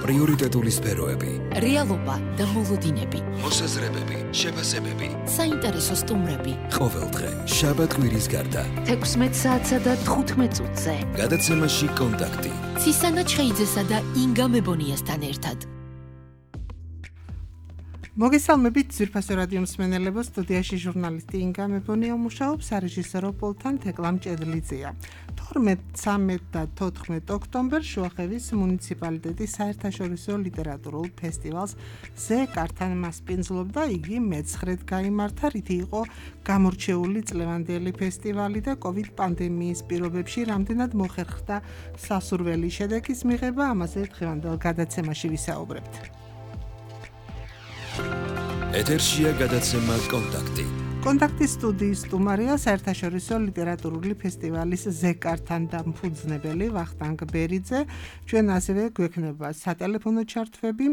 პრიორიტეტული სფეროები, რეალობა და მოლოდინები, მოსაზრებები, შეფასებები, საინტერესო სტუმრები. ყოველდღე შაბათ-კვირის გარდა 16 საათსა და 15 წუთზე. გადაცემაში კონტაქტი. ცისანა ჩხეიძესა და ინგა მებონიასთან ერთად. მოგესალმებით ძვირფასო რადიო მსმენელებო, სტუდიაში ჟურნალისტი ინგა მებონია მუშაობს, სარეჟისორო პულტთან თეკლა მჭედლიძეა. 12, 13 და 14 ოქტომბერს შუახევის მუნიციპალიტეტის საერთაშორისო ლიტერატურულ ფესტივალს ზეკართან მასპინძლობდა, იგი მეცხრედ გაიმართა, რითი იყო გამორჩეული წლევანდელი ფესტივალი და COVID პანდემიის პირობებში რამდენად მოხერხდა სასურველი შედეგის მიღება, ამაზე დღევანდელ გადაცემაში ვისაუბრებთ. ეთერშია გადაცემა კონტაქტი. კონტაქტის სტუდიის სტუმარია საერთაშორისო ლიტერატურული ფესტივალის ზეკართან დამფუძნებელი ვახტანგ ბერიძე. ჩვენ ასევე გვექნება სატელეფონო ჩართვები,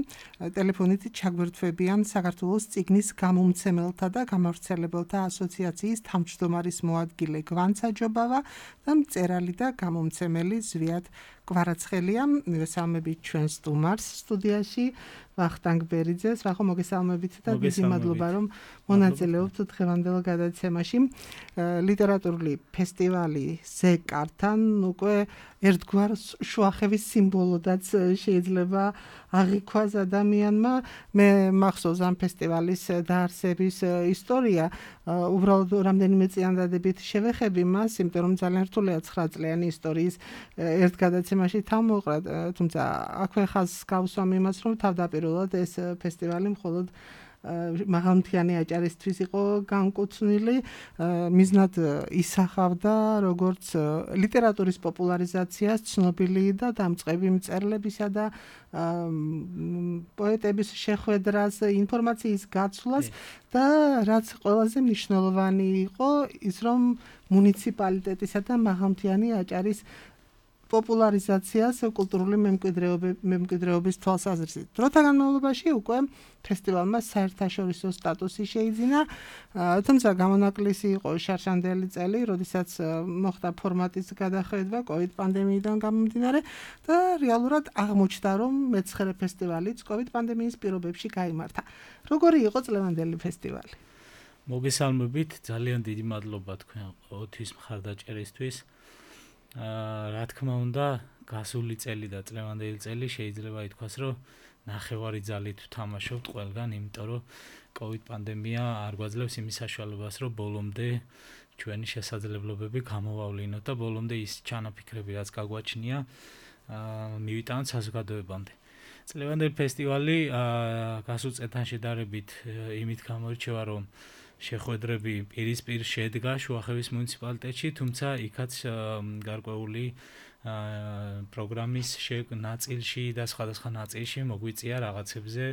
ტელეფონით ჩაგვერთვებიან საქართველოს წიგნის გამომცემელთა და გამავრცელებელთა ასოციაციის თავმჯდომარის მოადგილე გვანცაჯობავა და მწერალი და გამომცემელი ზვიად კვარაცხელია. მივესალმებით ჩვენ სტუმარს სტუდიაში ვახტანგ ბერიძეს. ვახო, მოგესალმებით და დიდი მადლობა რომ მონაწილეობთ დღევანდელ გადაცემაში. ლიტერატურული ფესტივალი ზეკართან უკვე ერთგვარ შუახევის სიმბოლოდაც შეიძლება აღიქვას ადამიანმა. მე მახსოვს ამ ფესტივალის დაარსების ისტორია, უბრალოდ რამდენიმე წინადადებით შევეხები მას, იმიტომ რომ ძალიან რთულია 9 წლიანი ისტორიის ერთ გადაცემაში თავმოყრა, თუმცა აქვე ხაზს გავსვამ იმას, რომ თავდაპირველად ეს ფესტივალი მხოლოდ მაღალმთიანი აჭარისთვის იყო განკუთვნილი, მიზნად ისახავდა როგორც ლიტერატურის პოპულარიზაციას, ცნობილი და დამწყები მწერლებისა და პოეტების შეხვედრას, ინფორმაციის გაცვლას და რაც ყველაზე მნიშვნელოვანი იყო ის, რომ მუნიციპალიტეტისა და მაღალმთიანი აჭარის პოპულარიზაციას კულტურული მემკვიდრეობის თვალსაზრისით. დროთა განმავლობაში უკვე ფესტივალმა საერთაშორისო სტატუსი შეიძინა, თუმცა გამონაკლისი იყო შარშანდელი წელი, როდესაც მოხდა ფორმატის გადახედვა COVID პანდემიიდან გამომდინარე და რეალურად აღმოჩნდა, რომ მეცხრე ფესტივალიც COVID პანდემიის პირობებში გაიმართა. როგორი იყო წლევანდელი ფესტივალი? მოგესალმებით, ძალიან დიდი მადლობა თქვენ ოთის მხარდაჭერისთვის. რა თქმა უნდა, გასული წელი და წლევანდელი წელი შეიძლება ითქვას, რომ ნახევარი ძალით ვთამაშობთ ყველგან, იმიტომ რომ COVID პანდემია არ გვაძლევს იმის საშუალებას, რომ ბოლომდე ჩვენი შესაძლებლობები გამოვავლინოთ და ბოლომდე ის ჩანაფიქრები, რაც გაგვაჩნია, მივიტანოთ საზოგადოებამდე. წლევანდელი ფესტივალი გასულ წელთან შედარებით იმით გამოირჩევა, რომ შეხვედრები პირისპირ შედგა შუახევის მუნიციპალიტეტში, თუმცა იქაც გარკვეული პროგრამის ნაწილში და სხვადასხვა ნაწილში მოგვიწია რაღაცებზე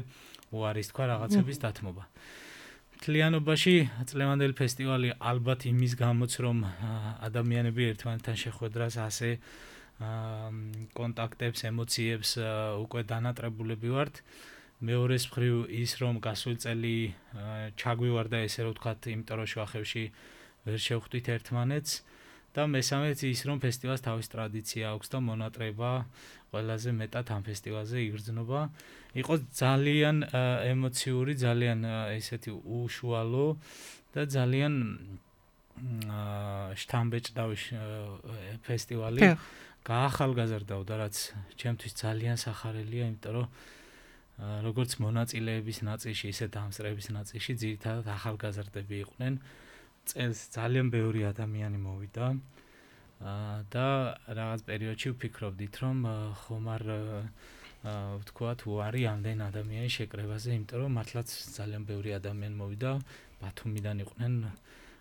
უარის თქვა რაღაცების დათმობა. მთლიანობაში წლევანდელი ფესტივალი ალბათ იმის გამოც, რომ ადამიანები ერთმანეთთან შეხვედრას, ასე კონტაქტებს, ემოციებს უკვე დანატრებულები ვართ. მეორეს მხრივ ის, რომ გასული წელი ჩაგვივარდა, ესე რომ ვთქვათ, იმიტომ რომ შუახევში ვერ შევხვდით ერთმანეთს და მესამეც ის, რომ ფესტივალს თავის ტრადიცია აქვს და მონატრება ყველაზე მეტად ამ ფესტივალზე იგრძნობა. იყო ძალიან ემოციური, ძალიან ესეთი უშუალო და ძალიან შთამბეჭდავი ფესტივალი. გაახალგაზრდავდა, რაც ჩემთვის ძალიან სახარელია, იმიტომ რომ როგორც მონაწილეების ნაწილში, ისე დამსწრების ნაწილში ძირითადად ახალგაზრდები იყვნენ. წელს ძალიან ბევრი ადამიანი მოვიდა და რაღაც პერიოდში ვფიქრობდით, რომ ხომ არ ვთქვათ, უარი ამდენ ადამიანის შეკრებაზე, იმიტომ რომ მართლაც ძალიან ბევრი ადამიანი მოვიდა. ბათუმიდან იყვნენ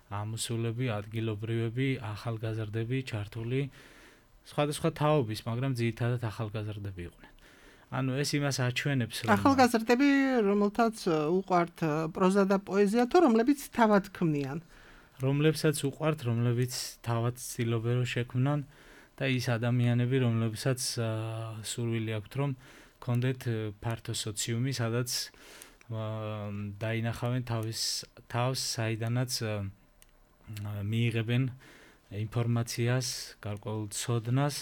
ამოსულები, ადგილობრივები, ახალგაზრდები ჩართული, სხვადასხვა თაობის, მაგრამ ძირითადად ახალგაზრდები იყვნენ. ანუ ეს იმას აჩვენებს, რომ ახალგაზრდები, რომელთაც უყვართ პროზა და პოეზია, თუ რომლებიც თავად ქმნიან. რომლებსაც უყვართ, რომლებიც თავად ცდილობენ რომ შექმნან და ის ადამიანები, რომლებსაც სურვილი აქვთ, რომ კონდეთ ფართო სოციუმი, სადაც დაინახავენ თავს, საიდანაც მიიღებენ ინფორმაციას, გარკვეულ ცოდნას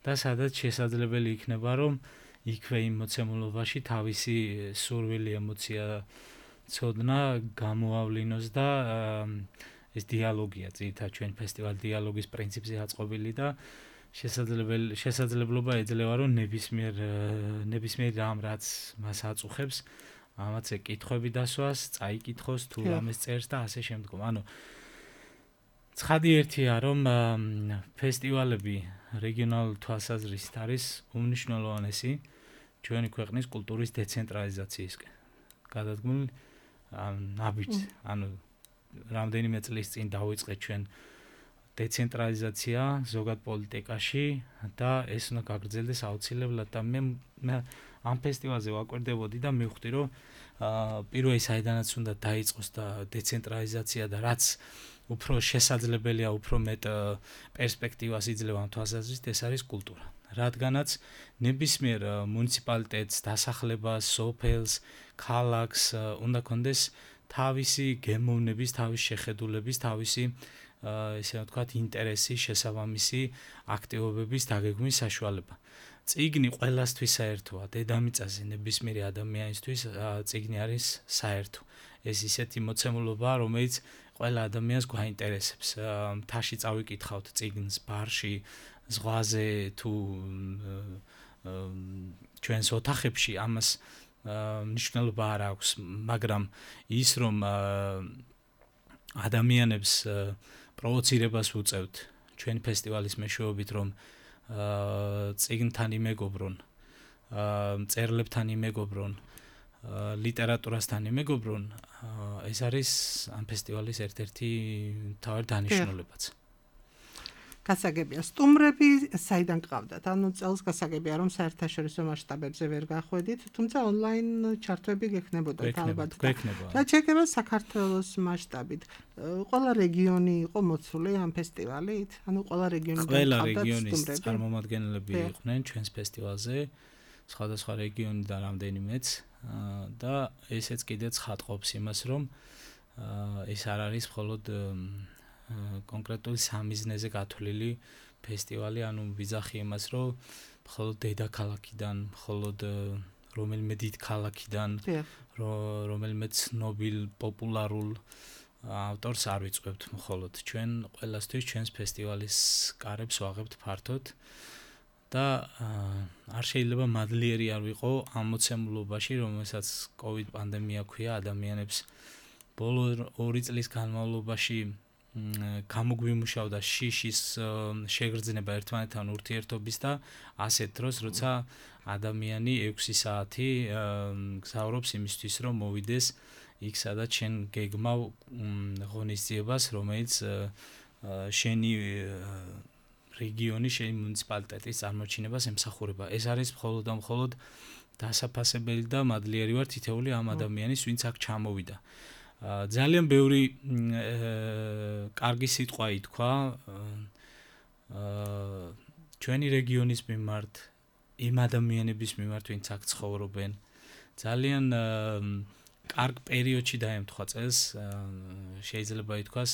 და სადაც შესაძლებელი იქნება, რომ იქვე იმ მოცემულობაში თავისი სურვილი ემოცია ცოდნა გამოავლინოს და ეს დიალოგია ძირითადად ჩვენ ფესტივალ დიალოგის პრინციპზე აწყობილი და შესაძლებლობა ეძლევა რომ ნებისმიერ რამ რაც მას აწუხებს ამაც ეკითხვები დასვას, წაიკითხოს თუ რამეს წერს და ასე შემდგომ. ანუ ცხადი ერთია რომ ფესტივალები რეგიონალური თვალსაზრისით არის უმნიშვნელოვანესი ჩვენი ქვეყნის კულტურის დეცენტრალიზაციისკენ. გადადგმული ნაბიჯს, ანუ რამდენიმე წლის წინ დავიწყეთ ჩვენ დეცენტრალიზაცია ზოგად პოლიტიკაში და ეს უნდა გაგრძელდეს აუცილებლად და მე ამ ფესტივალზე ვაკვირდებოდი და მივხვდი რომ პირველი საიდანაც უნდა დაიწყოს და დეცენტრალიზაცია და რაც უფრო შესაძლებელია, უფრო მეტ პერსპექტივას იძლევა ამ თვალსაზრისით, ეს არის კულტურა. რადგანაც ნებისმიერ მუნიციპალიტეტს, დასახლებას, სოფელს, ქალაქს უნდა კონდეს თავისი გემოვნების, თავისი შეხედულების, თავისი ესე ვთქვათ, ინტერესი, შესაბამისი აქტივობების დაგეგმვის საშუალება. წიგნი ყველასთვის საერთოა, დედამიწაზე ნებისმიერი ადამიანისთვის წიგნი არის საერთო. ეს ისეთი მოცემულობაა, რომელიც ყველა ადამიანს გვაინტერესებს. მთაში წავიკითხავთ წიგნს ბარში, ზღვაზე თუ ჩვენს ოთახებში, ამას მნიშვნელობა არ აქვს, მაგრამ ის რომ ადამიანებს პროვოცირებას უწევთ ჩვენ ფესტივალის მეშვეობით რომ წიგნთან იმეგობრონ, მწერლებთან იმეგობრონ, ლიტერატურასთან იმეგობრონ, ეს არის ამ ფესტივალის ერთ-ერთი მთავარი დანიშნულებაც. გასაგებია, სტუმრები საიდან ყავდათ? ანუ წელს გასაგებია რომ საერთაშორისო მასშტაბებზე ვერ გახვედით, თუმცა ონლაინ ჩართვები გექნებოდა ალბათ. რაც შეეხება საქართველოს მასშტაბით, ყველა რეგიონი იყო მოცული ამ ფესტივალით? ანუ ყველა რეგიონიდან ყველა რეგიონის წარმომადგენლები იყვნენ ჩვენს ფესტივალზე, სხვადასხვა რეგიონიდან რამდენიმეც და ესეც კიდეც ხატყოფს იმას, რომ ეს არ არის მხოლოდ კონკრეტული სამიზნეზე გათვლილი ფესტივალი, ანუ ვიძახი იმას, რომ მხოლოდ დედაქალაქიდან, მხოლოდ რომელიმე დიდ ქალაქიდან, რომელიმე ცნობილ, პოპულარულ ავტორს არ ვიწვევთ მხოლოდ. ჩვენ ყველასთვის ჩვენს ფესტივალის კარებს ვაღებთ ფართოდ და არ შეიძლება მადლიერი არ ვიყო ამ მოცემულობაში, რომელსაც COVID პანდემია ქვია ადამიანებს ბოლო 2 წლის განმავლობაში გამოგვიმუშავდა შიშის შეგრძნება ერთმანეთთან ურთიერთობის და ასეთ დროს, როცა ადამიანი 6 საათი გზავრობს იმისთვის, რომ მოვიდეს იქ, სადაც შენ გეგმავ ღონისძიებას, რომელიც შენი რეგიონი, შენი მუნიციპალიტეტის წარმოჩინებას ემსახურება. ეს არის მხოლოდ და მხოლოდ დასაფასებელი და მადლიერი ვარ თითოეული ამ ადამიანის, ვინც აქ ჩამოვიდა. ძალიან ბევრი კარგი სიტყვა ითქვა ჩვენი რეგიონის მიმართ, იმ ადამიანების მიმართ, ვინც აქ ცხოვრობენ. ძალიან კარგ პერიოდში დაემთხვა წელს, შეიძლება ითქვას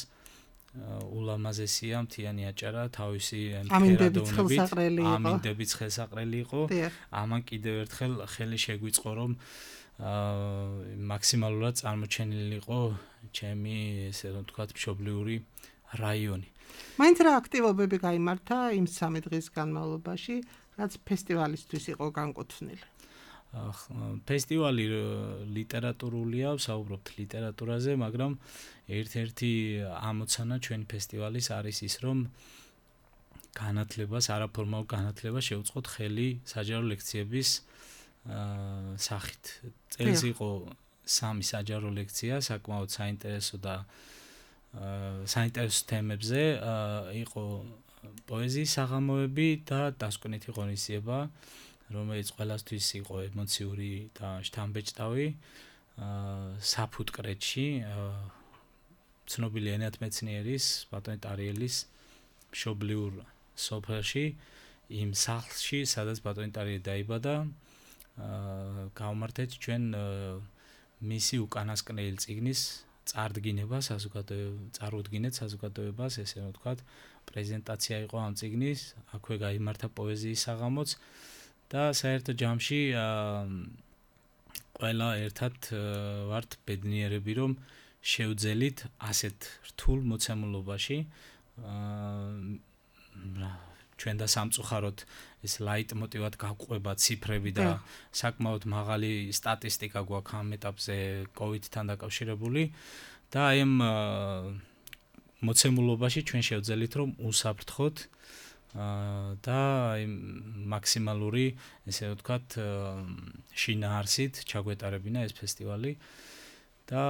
ულამაზესია მთიანი აჭარა, თავისი ამინდების ხელსაყრელი იყო. ამან კიდევ ერთხელ ხელი შეგვიწყო, რომ მაქსიმალურად წარმოჩენილი იყო ჩემი ესე რომ ვთქვათ მშობლიური რაიონი. მაინც რა აქტივობები გაიმართა იმ 3 დღის განმავლობაში, რაც ფესტივალისთვის იყო განკუთვნილი? ფესტივალი ლიტერატურულია, ვსაუბრობთ ლიტერატურაზე, მაგრამ ერთ-ერთი ამოცანა ჩვენი ფესტივალის არის ის, რომ განათლებას, არაფორმალურ განათლებას შევუწყოთ ხელი საჯარო ლექციების სახით. წელს იყო 3 საჯარო ლექცია, საკმაოდ საინტერესო და საინტერესო თემებზე, იყო პოეზიის საღამოები და დასკვნითი ღონისძიება, რომელიც ყველასთვის იყო ემოციური და შთამბეჭდავი. საფუტკრეთში ცნობილი ენათმეცნიერის, ბატონი ტარიელის მშობლიურ სოფელში, იმ სახლში, სადაც ბატონი ტარიელი დაიბადა, გავმართეთ ჩვენ მისი უკანასკნელი წიგნის წარდგინება, წარუდგინეთ საზოგადოებას, ესე ვთქვათ, პრეზენტაცია იყო ამ წიგნის, აქვე გაიმართა პოეზიის საღამოც და საერთო ჯამში ყველა ერთად ვართ ბედნიერები, რომ შევძელით ასეთ რთულ მოცემულობაში ჩვენ და სამწუხაროდ ეს ლაიტმოტივად გავყვება ციფრები და საკმაოდ მაღალი სტატისტიკა გვაქვს ამ ეტაპზე COVID-თან დაკავშირებული და აი ამ მოცემულობაში ჩვენ შევძელით რომ უსაფრთხოდ და აი მაქსიმალური ესე ვთქვათ შინაარსით ჩაგვეტარებინა ეს ფესტივალი და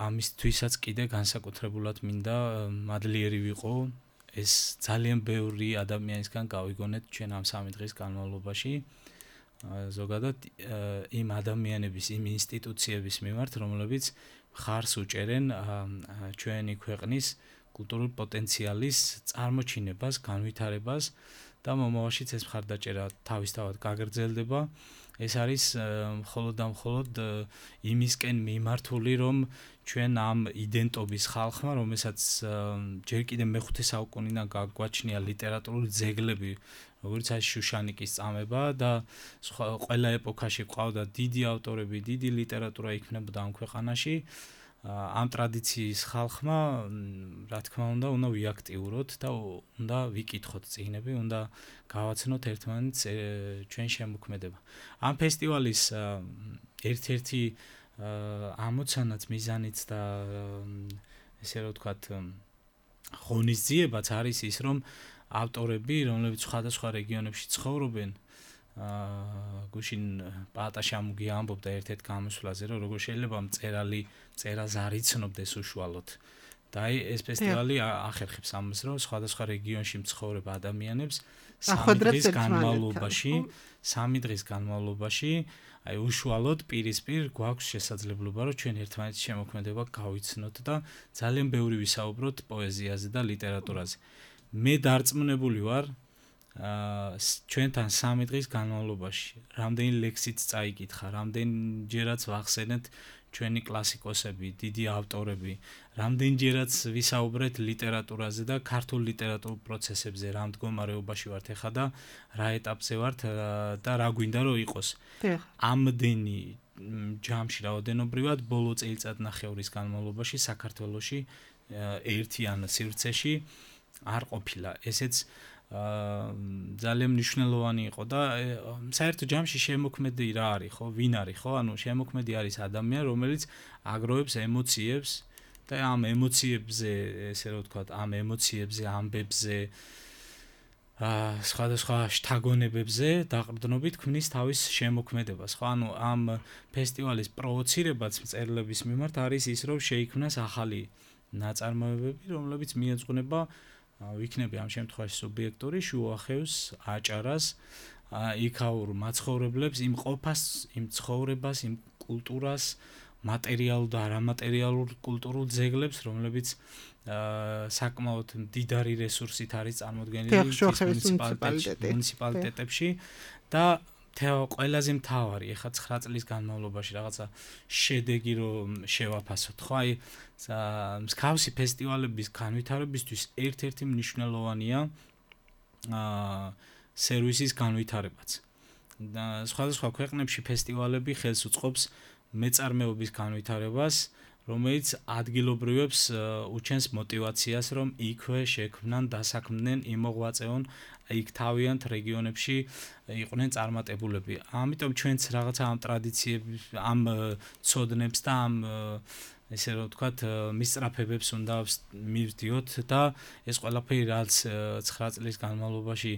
ამისთვისაც კიდე განსაკუთრებულად მინდა მადლიერი ვიყო ეს ძალიან ბევრი ადამიანისგან გავიგონეთ ჩვენ ამ 3 დღის განმავლობაში ზოგადად იმ ადამიანების იმ ინსტიტუციების მიმართ რომლებიც ხარს უჭერენ ჩვენი ქვეყნის კულტურულ პოტენციალის წარმოჩინებას, განვითარებას და მომავალშიც ეს მხარდაჭერა თავისთავად გაგრძელდება. ეს არის მხოლოდ და მხოლოდ იმისკენ მიმართული, რომ ჩვენ ამ იდენტობის ხალხმა, რომელსაც ჯერ კიდევ მე-5 საუკუნიდან გაგვაჩნია ლიტერატურული ძეგლები, როგორც არის შუშანიკის წამება და ყველა ეპოქაში ყავდა დიდი ავტორები, დიდი ლიტერატურა იქმნებოდა ამ ქვეყანაში. ამ ტრადიციის ხალხმა, რა თქმა უნდა ვიაქტიუროთ და უნდა ვიკითხოთ წიგნები, უნდა გავაცნოთ ერთმანეთს ჩვენ შემოქმედება. ამ ფესტივალის ერთ-ერთი ამოცანაც, მიზანიც და ესე რომ ვთქვათ, ღონისძიებაც არის ის, რომ ავტორები, რომლებიც სხვადასხვა რეგიონებში ცხოვრობენ, გუშინ პაატა შამუგი ამბობდა ერთ-ერთ გამოსვლაზე, რომ როგორ შეიძლება მწერალი წერას არ იცნობდეს უშუალოდ. და აი ეს ფესტივალი ახერხებს ამას, რომ სხვადასხვა რეგიონში მცხოვრებ ადამიანებს 3 დღის განმავლობაში აი უშუალოდ პირისპირ გვაქვს შესაძლებლობა, რომ ჩვენ ერთმანეთის შემოქმედება გავიცნოთ და ძალიან ბევრი ვისაუბროთ პოეზიაზე და ლიტერატურაზე. მე დარწმუნებული ვარ ჩვენთან 3 დღის განმავლობაში რამდენი ლექსიც წაიკითხა, რამდენჯერაც ვახსენეთ ჩვენი კლასიკოსები, დიდი ავტორები, რამდენჯერაც ვისაუბრეთ ლიტერატურაზე და ქართულ ლიტერატურულ პროცესებზე, რა მდგომარეობაში ვართ ახლა და რა ეტაპზე ვართ და რა გვინდა რომ იყოს. ამდენი ჯამში რაოდენობრივად ბოლო წელიწადნახევრის განმავლობაში საქართველოში ერთიან სივრცეში არ ყოფილა. ესეც ძალიან მნიშვნელოვანი იყო და საერთო ჯამში შემოქმედი რა არის ხო? ვინ არის ხო? ანუ შემოქმედი არის ადამიანი, რომელიც აგროვებს ემოციებს და ამ ემოციებზე, ესე რომ ვთქვათ, ამ ემოციებზე, ამბებზე, სხვადასხვა შთაგონებებზე დაყრდნობით ქმნის თავის შემოქმედებას, ხო? ანუ ამ ფესტივალის პროვოცირებაც მწერლების მიმართ არის ის, რომ შეიქმნას ახალი ნაწარმოებები, რომლებიც მიეძღვნება ვიქნები ამ შემთხვევაში სუბიექტური შუახევს, აჭარას, იქაურ მაცხოვრებლებს, იმ ყოფას, იმ ცხოვრებას, იმ კულტურას, მატერიალურ და არამატერიალურ კულტურულ ძეგლებს, რომლებიც საკმაოდ მდიდარი რესურსით არის წარმოდგენილი მუნიციპალიტეტებში და ყველაზე მთავარი, ეხლა 9 წლის განმავლობაში რაღაცა შედეგი რომ შევაფასოთ, ხო? აი მსგავსი ფესტივალების განვითარებისთვის ერთ-ერთი მნიშვნელოვანია სერვისის განვითარებაც. და სხვადასხვა ქვეყნებში ფესტივალები ხელს უწყობს მეწარმეობის განვითარებას, რომელიც ადგილობრივებს უჩენს мотивაციას, რომ იქვე შექმნან, დასაქმდნენ, იმოღვაწეონ, იქ თავიანთ რეგიონებში იყვნენ წარმატებულები. ამიტომ ჩვენც რაღაცა ამ ტრადიციებს, ამ ცოდნებს და ამ ესე რომ ვთქვათ, მისწრაფებებს უნდა მივდიოთ და ეს ყველაფერი რაც 9 წლის განმავლობაში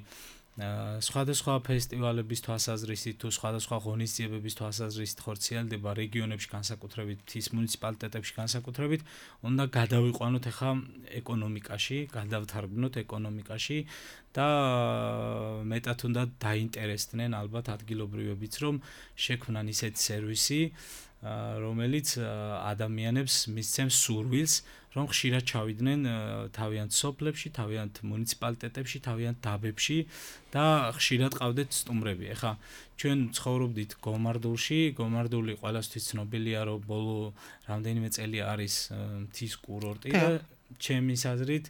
სხვადასხვა ფესტივალების თვალსაზრისით თუ სხვადასხვა ღონისძიებების თვალსაზრისით ხორციელდება რეგიონებში, განსაკუთრებით მთის მუნიციპალიტეტებში განსაკუთრებით, უნდა გადავიყვანოთ ახლა ეკონომიკაში, გადავთარგმნოთ ეკონომიკაში და მეტად უნდა დაინტერესდნენ ალბათ ადგილობრივებიც, რომ შექმნან ისეთი სერვისი, რომელიც ადამიანებს მისცემს სურვილს, რომ ხშირად ჩავიდნენ თავიანთ სოფლებში, თავიანთ მუნიციპალიტეტებში, თავიანთ დაბებში და ხშირად ყავდეთ სტუმრები. ეხლა ჩვენ ცხოვრობდით გომარდულში, გომარდული ყველასთვის ცნობილია, რომ ბოლო რამდენიმე წელი არის მთის კურორტი და ჩემის აზრით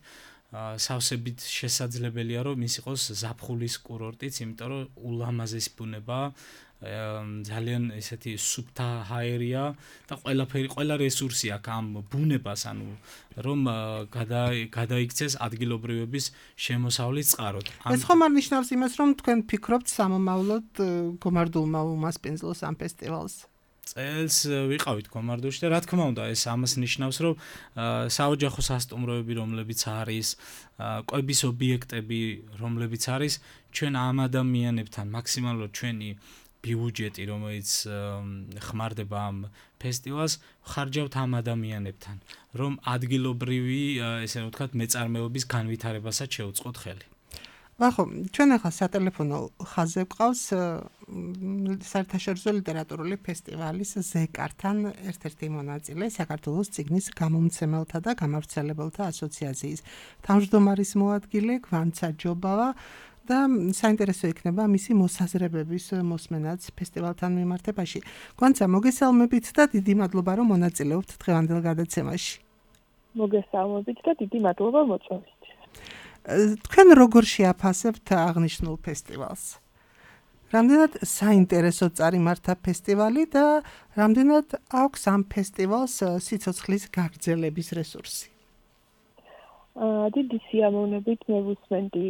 სავსებით შესაძლებელია რომ ის იყოს ზაფხულის კურორტიც, იმიტომ რომ ულამაზესი ბუნებაა, ძალიან ესეთი სუფთა ჰაერია და ყველა რესურსი აქვს ამ ბუნებას, ანუ რომ გადაიქცეს ადგილობრივების შემოსავლის წყაროდ. ეს ხომ არ ნიშნავს იმას, რომ თქვენ ფიქრობთ სამომავლოდ გომარდულმა უმასპინძლოს ამ ფესტივალს? წელს ვიყავით გომარდულში და რა თქმა უნდა ეს ამას ნიშნავს რომ საოჯახო სასტუმროები რომლებიც არის, კვების ობიექტები რომლებიც არის, ჩვენ ამ ადამიანებთან მაქსიმალურად ჩვენი ბიუჯეტი რომელიც ხმარდება ამ ფესტივალს ხარჯავთ ამ ადამიანებთან, რომ ადგილობრივი ესე რომ ვთქვათ მეწარმეობის განვითარებასაც შეუწყოთ ხელი. ვახო, ჩვენ ახლა სატელეფონო ხაზზე გვყავს საერთაშორისო ლიტერატურული ფესტივალის ზეკართან ერთ-ერთი მონაწილე, საქართველოს წიგნის გამომცემელთა და გამავრცელებელთა ასოციაციის თავმჯდომარის მოადგილე გვანცა ჯობავა და საინტერესო იქნება მისი მოსაზრებების მოსმენაც ფესტივალთან მიმართებაში. გვანცა, მოგესალმებით და დიდი მადლობა რომ მონაწილეობთ დღევანდელ გადაცემაში. მოგესალმებით და დიდი მადლობა მოწვევით. თქვენ როგორ შეაფასებთ აღნიშნულ ფესტივალს? რამდენად საინტერესო წარიმართა ფესტივალი და რამდენად აქვს ამ ფესტივალს სიცოცხლის გაგრძელების რესურსი? დიდი სიამოვნებით მევუსმენდი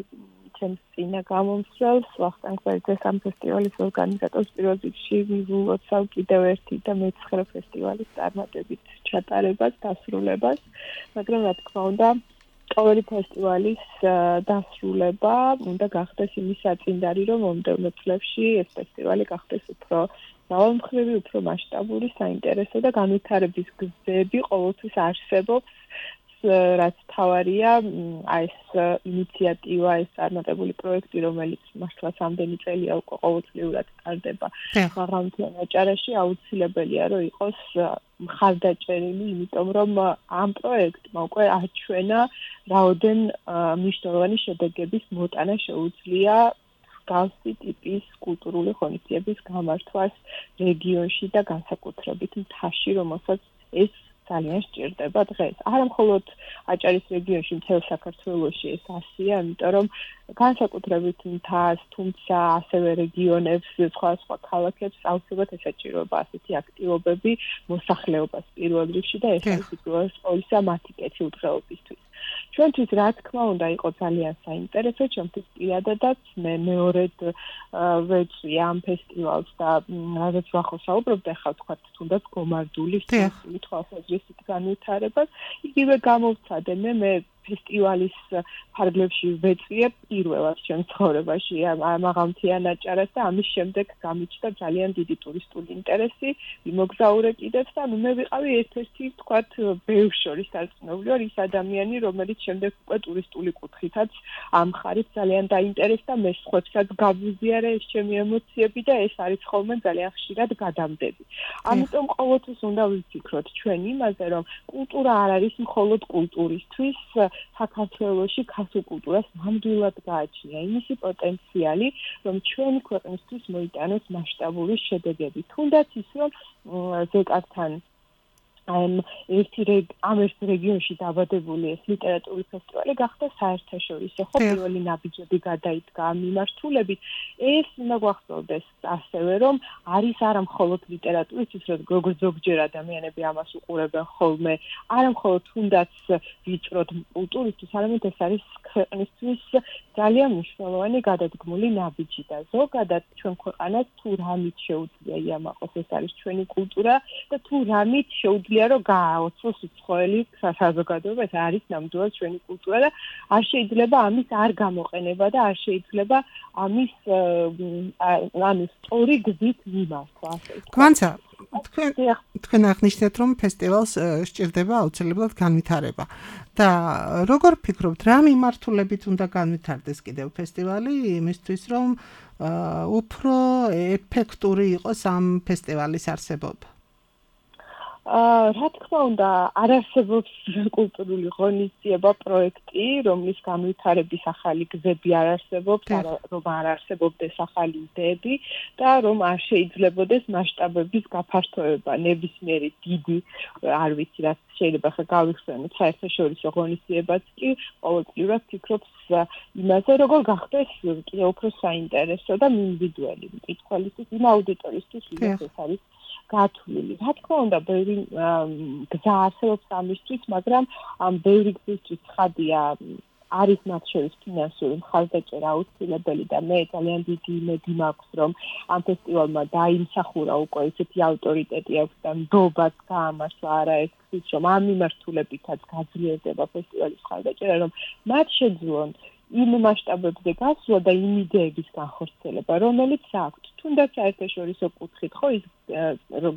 ჩემს წინა გამომსვლელს, ვახტანგ ბერძეს ამ ფესტივალის ორგანიზატორს პირველ რიგში ვივლოცავ კიდევ ერთი და მეცხრე ფესტივალის წარმატებით ჩატარებას, დასრულებას, მაგრამ რა თქმა უნდა ყოველი ფესტივალის დასრულება უნდა გახდეს იმის საწინდარი, რომ მომდევნო წლებში ეს ფესტივალი გახდეს უფრო მრავალმხრივი, უფრო მასშტაბური, საინტერესო და განვითარების გზები ყოველთვის არსებობს, რაც თავარია ეს ინიციატივა, ეს წარმატებული პროექტი, რომელიც მართლაც ამდენი წელია უკვე ყოველწლიურად ტარდება მაღალმთიან აჭარაში, აუცილებელია რომ იყოს მხარდაჭერილი, იმიტომ რომ ამ პროექტმა უკვე აჩვენა რაოდენ მნიშვნელოვანი შედეგების მოტანა შეუძლია მსგავსი ტიპის კულტურული ღონისძიების გამართვას რეგიონში და განსაკუთრებით მთაში, რომელსაც ეს ძალიან სჭირდება დღეს. არა მხოლოდ აჭარის რეგიონში, მთელ საქართველოში ეს ასია, იმიტომ რომ განსაკუთრებით მთას, თუმცა ასევე რეგიონებს, სხვა ქალაქებს აუცილებლად ესაჭიროება ასეთი აქტივობები მოსახლეობას პირველ რიგში და ეს არის უპირველეს ყოვლისა მათი კეთილდღეობისთვის. ჩვენთვის რა თქმა უნდა იყო ძალიან საინტერესო, ჩემთვის პირადადაც მე მეორედ ვეწვი ამ ფესტივალს და რადგან ახლა საუბრობთ ახლა თქვა თუნდაც გომარდულის თვალსაზრისით განვითარებას, იგივე გამოვცადე მე ფესტივალის ფარგლებში ვეწვიებ პირველად ჩემ ცხოვრებაში მაღალმთიან აჭარას და ამის შემდეგ გამიჩნდა ძალიან დიდი ტურისტული ინტერესი, ვიმოგზაურე კიდევ და მე ვიყავი ერთ-ერთი თქვათ ბევრ შორის დარწმუნებული ის ადამიანი, რომელიც შემდეგ უკვე ტურისტული კუთხითაც ამ ხარით ძალიან დაინტერესდა, მე სხვებსაც გავუზიარე ეს ჩემი ემოციები და ეს არის ხოლმე ძალიან ხშირად გადამდები. ამიტომ ყოველთვის უნდა ვიფიქროთ ჩვენ იმაზე, რომ კულტურა არ არის მხოლოდ კულტურისთვის, საქართველოში ქართულ კულტურას ნამდვილად გააჩნია იმისი პოტენციალი, რომ ჩვენი ქვეყნისთვის მოიტანოს მასშტაბური შედეგები. თუნდაც ის, რომ ზეკართან ამ ერთ რეგიონში დაბადებული ეს ლიტერატურული ფესტივალი გახდა საერთაშორისო, ხო პირველი ნაბიჯები გადაიდგა ამ მიმართულებით. ეს უნდა გვახსოვდეს ასევე, რომ არის არა მხოლოდ ლიტერატურისთვის, როგორც ზოგჯერ ადამიანები ამას უყურებენ ხოლმე, არა მხოლოდ თუნდაც ვიწროთ კულტურისთვის, არამედ ეს არის ქვეყნისთვის ძალიან მნიშვნელოვანი გადადგმული ნაბიჯი და ზოგადად ჩვენ ქვეყანას თუ რამით შეუძლია იამაყოს ეს არის ჩვენი კულტურა და თუ რამით შეუძლია რომ გააოცოს უცხოელი საზოგადოება, ეს არის ნამდვილად ჩვენი კულტურა და არ შეიძლება ამის არ გამოყენება და არ შეიძლება ამის სწორი გზით მიმართვა. გვანცა, თქვენ აღნიშნეთ, რომ ფესტივალს სჭირდება აუცილებლად განვითარება. და როგორ ფიქრობთ, რა მიმართულებით უნდა განვითარდეს კიდევ ფესტივალი იმისთვის, რომ უფრო ეფექტური იყოს ამ ფესტივალის არსებობა? რა თქმა უნდა, არ არსებობს კულტურული ღონისძიება პროექტი, რომლის განვითარების ახალი გზები არ არსებობს, რომ არ არსებობდეს ახალი იდეები და რომ არ შეიძლებოდეს მასშტაბების გაფართოება, ნებისმიერი დიდი, არ ვიცი რა შეიძლება ხა გავიხსენოთ საერთაშორისო ღონისძიებაც კი ყოველწლიურად ფიქრობს იმაზე, როგორ გახდეს კიდევ უფრო საინტერესო და მინდვიდუელი მკითხველისთვის, იმ აუდიტორისთვის, ვინც ეს არის გათვლილი. რა თქმა უნდა, ბევრი გზა არსებობს ამისთვის, მაგრამ ამ ბევრი გზისთვის ცხადია არის მათ შორის ფინანსური მხარდაჭერა აუცილებელი და მე ძალიან დიდი იმედი მაქვს, რომ ამ ფესტივალმა დაიმსახურა უკვე ესეთი ავტორიტეტი აქვს და ნდობაც გაამართლა არაერთგზის, რომ ამ მიმართულებითაც გაძლიერდება ფესტივალის მხარდაჭერა, რომ მათ შეძლონ იმ მასშტაბებზე გასვლა და იმ იდეების განხორციელება, რომელიც აქვთ. თუნდაც საერთაშორისო კუთხით, ხო ის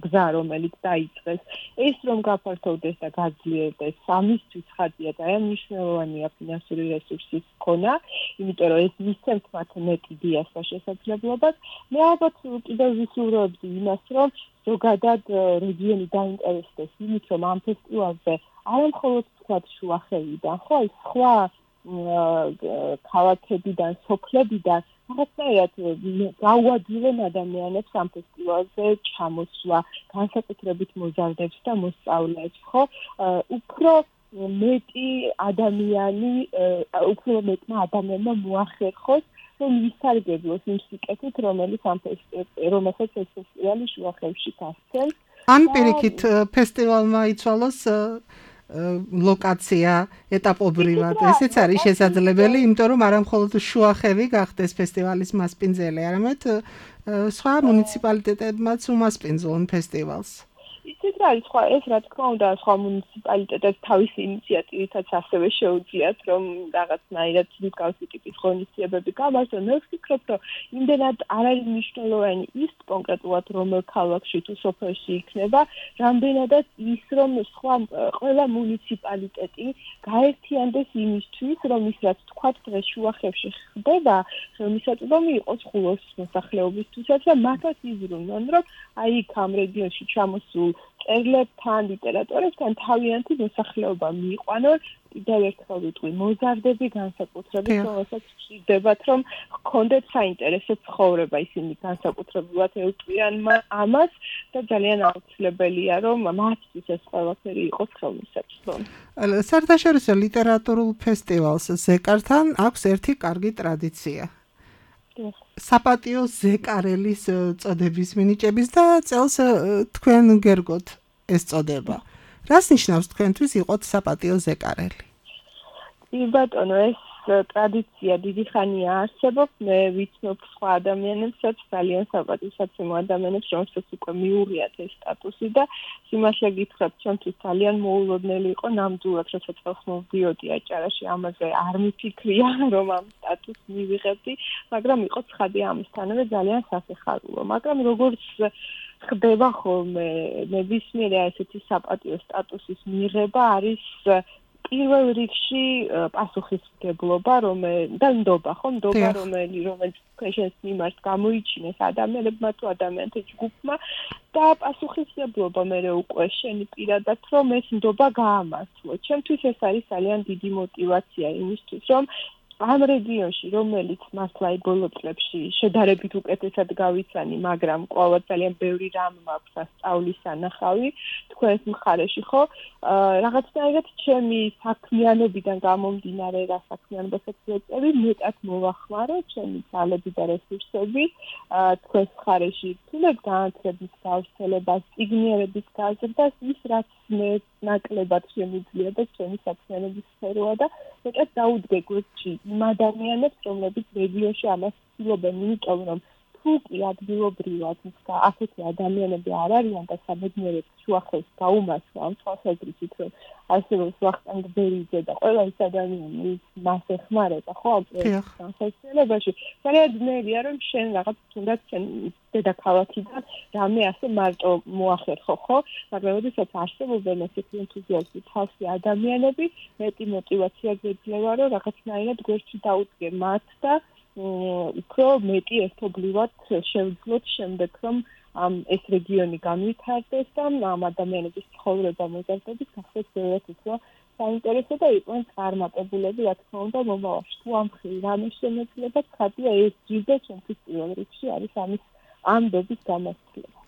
გზა, რომელიც დაიწყეს, ეს რომ გაფართოვდეს და გაძლიერდეს, ამისთვის ხადია და მნიშვნელოვანია ფინანსური რესურსის ქონა, იმიტომ რომ ეს მისცემთ მათ მეტი დიას და შესაძლებლობას. მე ალბათ კიდევ ვისურვებდი იმას, რომ ზოგადად რეგიონი დაინტერესდეს იმით, რომ ამ ფესტივალზე არა მხოლოდ თქვა შუახევიდან, ხო ის სხვა ქალაქებიდან, სოფლებიდან რაღაცნაირად გაუადვილენ ადამიანებს ამ ფესტივალზე ჩამოსვლა, განსაკუთრებით მოზარდებს და მოსწავლეებს, ხო? უფრო მეტი ადამიანი, უფრო მეტმა ადამიანმა მოახერხოს, რომ ისარგებლოს იმ სიკეთით, რომელსაც ეს ფესტივალი შუახევში გასცემს. ან პირიქით ფესტივალმა იცვალოს ლოკაცია ეტაპობრივად. ესეც არის შესაძლებელი, იმიტომ რომ არა მხოლოდ შუახევი გახდეს ფესტივალის მასპინძელი, არამედ სხვა მუნიციპალიტეტებმაც უმასპინძლონ ფესტივალს. იცით რა არის, ეს რა თქმა უნდა, სხვა მუნიციპალიტეტებს თავისი ინიციატივითაც ასევე შეუძლიათ, რომ რაღაცნაირად მსგავსი ტიპის ღონისძიებები გამართონ. მე ვფიქრობ, რომ იმდენად არ არის მნიშვნელოვანი ის კონკრეტულად რომელ ქალაქში თუ სოფელში იქნება, რამდენადაც ის, რომ ყველა მუნიციპალიტეტი გაერთიანდეს იმისთვის, რომ ის რაც თქვათ დღეს შუახევში ხდება, ხელმისაწვდომი იყოს ხულოს მოსახლეობისთვისაც და მათაც იზრუნონ, რომ აი იქ ამ რეგიონში ჩამოსულ წერლებთან, ლიტერატორებთან თავიანთი მოსახლეობა მიიყვანონ. კიდევ ერთხელ ვიტყვი, მოზარდები განსაკუთრებით, რომელსაც ვჭირდებათ, რომ ჰქონდეთ საინტერესო ცხოვრება, ისინი განსაკუთრებულად ელტვიან ამას და ძალიან აუცილებელია, რომ მათთვის ეს ყველაფერი იყოს ხელმისაწვდომი. საერთაშორისო ლიტერატურულ ფესტივალს ზეკართან აქვს ერთი კარგი ტრადიცია. საპატიო ზეკარელის წოდების მინიჭების და წელს თქვენ გერგოთ ეს წოდება. რას ნიშნავს თქვენთვის იყოთ საპატიო ზეკარელი? ბატონო, ეს ტრადიცია დიდი ხანია არსებობს. მე ვიცნობ სხვა ადამიანებსაც, ძალიან საპატიოსაცემო ადამიანებს, რომელსაც უკვე მიუღიათ ეს სტატუსი და სიმართლე გითხრათ, ჩვენთვის ძალიან მოულოდნელი იყო ნამდვილად, როდესაც ხელს მოვდიოდი აჭარაში, ამაზე არ მიფიქრია, რომ ამ სტატუსს მივიღებდი, მაგრამ იყო ცხადი ამისთანავე ძალიან სასიხარულო. მაგრამ როგორც ხდება ხოლმე, ნებისმიერი ესეთი საპატიო სტატუსის მიღება არის პირველ რიგში პასუხისმგებლობა, და ნდობა, რომელიც ჩვენს მიმართ გამოიჩინეს ადამიანებმა თუ ადამიანთა ჯგუფმა და პასუხისმგებლობა მე უკვე შენი პირადად, რომ ეს ნდობა გაამართლო. ჩემთვის ეს არის ძალიან დიდი мотиваცია იმისთვის, რომ ამ რეგიონში, რომელიც მართლა ბოლო წლებში შედარებით უკეთესად გავიცანი, მაგრამ კვლავ ძალიან ბევრი რამ მაქვს ასწავლის სანახავი თქვენს მხარეში, ხო? რაღაცნაირად ჩემი საქმიანობიდან გამომდინარე, რა საქმიანობასაც ვეწევი, მეტად მოვახმარო ჩემი ძალები და რესურსები თქვენს მხარეში, თუნდაც განათლების გავრცელებას, წიგნიერების გაზრდას, ის რაც მე ნაკლებად შემიძლია და ჩემი საქმიანობის სფეროა და მეტად დაუდგე გვერდში იმ ადამიანებს, რომლებიც რეგიონში ამას ცდილობენ, იმიტომ რომ თუ კი ადგილობრივად ასეთი ადამიანები არ არიან და საბედნიეროდ შუახევს გაუმართლა ამ თვალსაზრისით, რომ არსებობს ვახტანგ ბერიძე და ყველა ის ადამიანი მას ეხმარება, ხო, ამ პროექტის განხორციელებაში, ძალიან ძნელია, რომ შენ რაღაც თუნდაც შენ დედაქალაქიდან რამე ასე მარტო მოახერხო, ხო? მაგრამ როდესაც არსებობენ ესეთი ენთუზიასტი თავსი ადამიანები, მეტი мотиваცია გვეძლევა, რომ რაღაცნაირად გვერდში დაუდგე მათ და უფრო მეტი ერთობლივად შევძლოთ შემდეგ, რომ ეს რეგიონი განვითარდეს და ამ ადამიანების ცხოვრება მოზარდების გახდეს ბევრად უფრო საინტერესო და იყვნენ წარმატებულები, რა თქმა უნდა, მომავალში. თუ ამ რამე შემეძლება, ხადია ეს ჯიბე ჩვენთვის პირველ რიგში არის ამის ამბების გამოსცლება.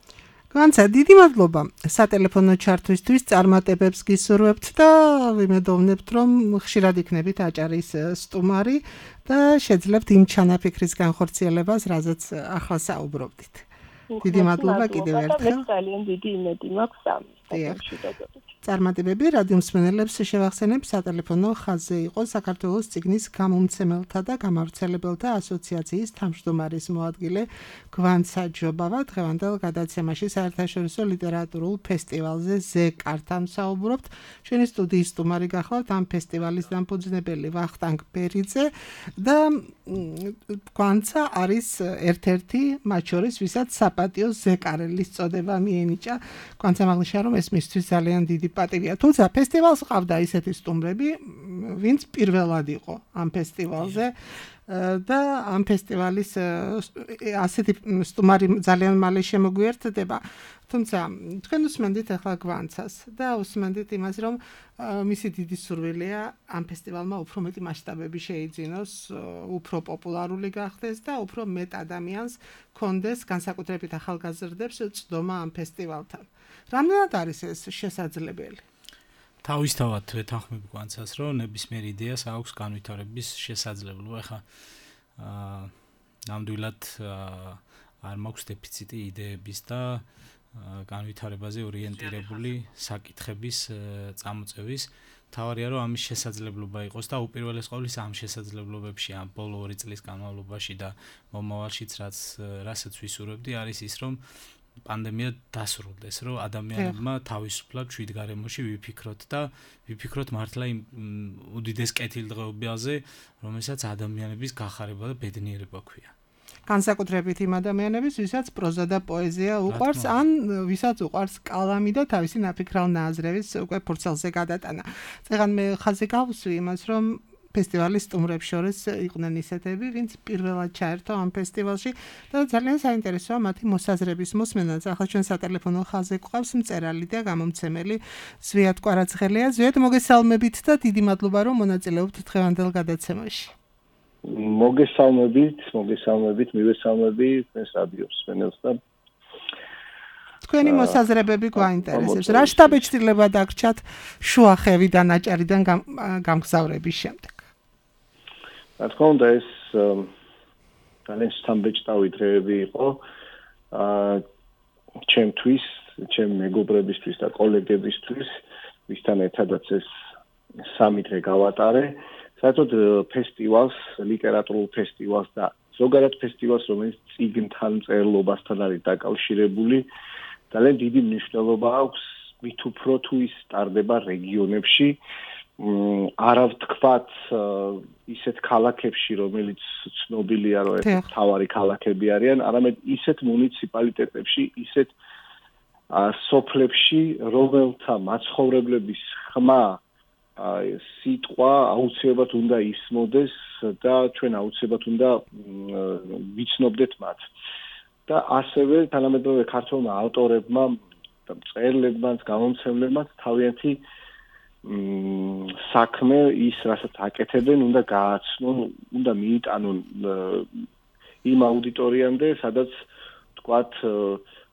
განცა დიდი მადლობა სატელეფონო ჩართვისთვის, წარმატებებს გისურვებთ და ვიმედოვნებთ, რომ ხშირად იქნებით აჭარის სტუმარი და შეძლებთ იმ ჩანაფიქრის განხორციელებას, რაზეც ახლა საუბრობდით. დიდი მადლობა კიდევ ერთხელ. ძალიან დიდი იმედი მაქვს ამის დაგემშვიდობებით. წარმატებები რადიო მსმენელებს შევახსენებ, სატელეფონო ხაზზე იყო საქართველოს წიგნის გამომცემელთა და გამავრცელებელთა ასოციაციის თავმჯდომარის მოადგილე გვანცა ჯობავა. დღევანდელ გადაცემაში საერთაშორისო ლიტერატურულ ფესტივალზე ზეკართან საუბრობთ. ჩვენი სტუდიის სტუმარი გახლავთ ამ ფესტივალის დამფუძნებელი ვახტანგ ბერიძე და გვანცა არის ერთ-ერთი მათ შორის, ვისაც საპატიო ზეკარელის წოდება მიენიჭა. გვანცა მაღლიშა რომ ეს მისთვის ძალიან დიდი პატივია. თუმცა ფესტივალს ყავდა ისეთი სტუმრები, ვინც პირველად იყო ამ ფესტივალზე და ამ ფესტივალის ასეთი სტუმარი ძალიან მალე შემოგვიერთდება. თუმცა თქვენ უსმენდით ახლა გვანცას და უსმენდით იმას, რომ მისი დიდი სურვილია ამ ფესტივალმა უფრო მეტი მასშტაბები შეიძინოს, უფრო პოპულარული გახდეს და უფრო მეტ ადამიანს კონდეს, განსაკუთრებით ახალგაზრდებს, წვდომა ამ ფესტივალთან. რამდენად არის ეს შესაძლებელი? თავისთავად ვეთანხმებ გვანცას, რომ ნებისმიერ იდეას აქვს განვითარების შესაძლებლობა. ეხლა ნამდვილად არ მაქვს დეფიციტი იდეების და განვითარებაზე ორიენტირებული საკითხების წამოწევის. თავარია რომ ამის შესაძლებლობა იყოს და უპირველეს ყოვლისა ამ შესაძლებლობებში ამ ბოლო 2 წლის განმავლობაში და მომავალშიც რასაც ვისურვებდი არის ის, რომ პანდემია დასრულდეს, რომ ადამიანებმა თავისუფლად ჩვიდგარემოში ვიფიქროთ და ვიფიქროთ მართლა იმ უდიდეს კეთილდღეობაზე, რომელსაც ადამიანების გახარება და ბედნიერება ქვია. განსაკუთრებით იმ ადამიანების, ვისაც პროზა და პოეზია უყვარს, ან ვისაც უყვარს კალამი და თავისი ნაფიქრალ ნააზრევის უკვე ფურცელზე გადატანა. წეგან მე ხაზი გავუსვი იმას, რომ ფესტივალის სტუმრებს შორის იყვნენ ისეთები, ვინც პირველად ჩაერთო ამ ფესტივალში და ძალიან საინტერესოა მათი მოსაზრების მოსმენაც. ახლა ჩვენ სატელეფონო ხაზზე გვყავს მწერალი და გამომცემელი ზვიად კვარაცხელია. ზვიად, მოგესალმებით და დიდი მადლობა, რომ მონაწილეობთ დღევანდელ გადაცემაში. მოგესალმებით, მივესალმები თქვენს რადიო მსმენელს და თქვენი მოსაზრებები გვაინტერესებს. რა შთაბეჭდილება დაგრჩათ შუახევიდან აჭარიდან გამგზავრების შემდეგ? რა თქმა უნდა, ეს ძალიან შთამბეჭდავი დღეები იყო ჩემთვის, ჩემ მეგობრებისთვის და კოლეგებისთვის, ვისთან ერთადაც ეს 3 დღე გავატარე. საერთოდ ფესტივალს, ლიტერატურულ ფესტივალს და ზოგადად ფესტივალს, რომელიც წიგნთან, მწერლობასთან არის დაკავშირებული, ძალიან დიდი მნიშვნელობა აქვს, მით უფრო თუ ის ტარდება რეგიონებში, არა ვთქვათ ისეთ ქალაქებში, რომელიც ცნობილია, რომ ეს მთავარი ქალაქები არიან, არამედ ისეთ მუნიციპალიტეტებში, ისეთ სოფლებში, რომელთა მაცხოვრებლების ხმა სიტყვა აუცილებლად უნდა ისმოდეს და ჩვენ აუცილებლად უნდა ვიცნობდეთ მათ. და ასევე თანამედროვე ქართველმა ავტორებმა და მწერლებმა, გამომცემლებმა თავიანთი საქმე ის, რასაც აკეთებენ, უნდა გააცნონ, უნდა მიიტანონ იმ აუდიტორიამდე, სადაც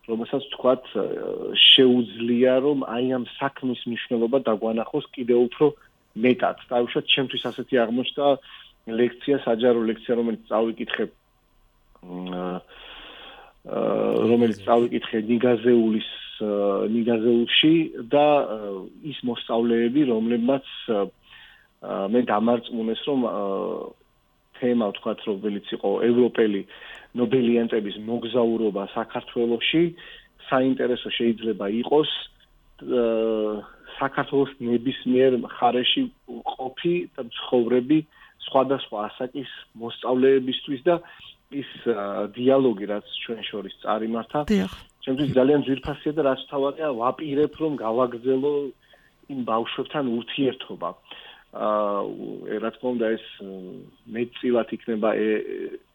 რომელსაც თქვათ შეუძლია, რომ აი ამ საქმის მნიშვნელობა დაგვანახოს კიდევ უფრო მეტად. დაუშვათ, ჩემთვის ასეთი აღმოჩნდა ლექცია, საჯარო ლექცია, რომელიც წავიკითხე ნიგაზეულში და ის მოსწავლეები, რომლებმაც მე დამარწმუნეს, რომ თემა, ვთქვათ, რომელიც იყო ევროპელი ნობელიანტების მოგზაურობა საქართველოში, საინტერესო შეიძლება იყოს საქართველოს ნებისმიერ მხარეში ყოფი და ცხოვრები სხვადასხვა ასაკის მოსწავლეებისთვის და ის დიალოგი, რაც ჩვენ შორის წარიმართა, ჩემთვის ძალიან ძვირფასია და რაც თავარია, ვაპირებ, რომ გავაგრძელო იმ ბავშვებთან ურთიერთობა. რა თქმა უნდა ეს მეტწილად იქნება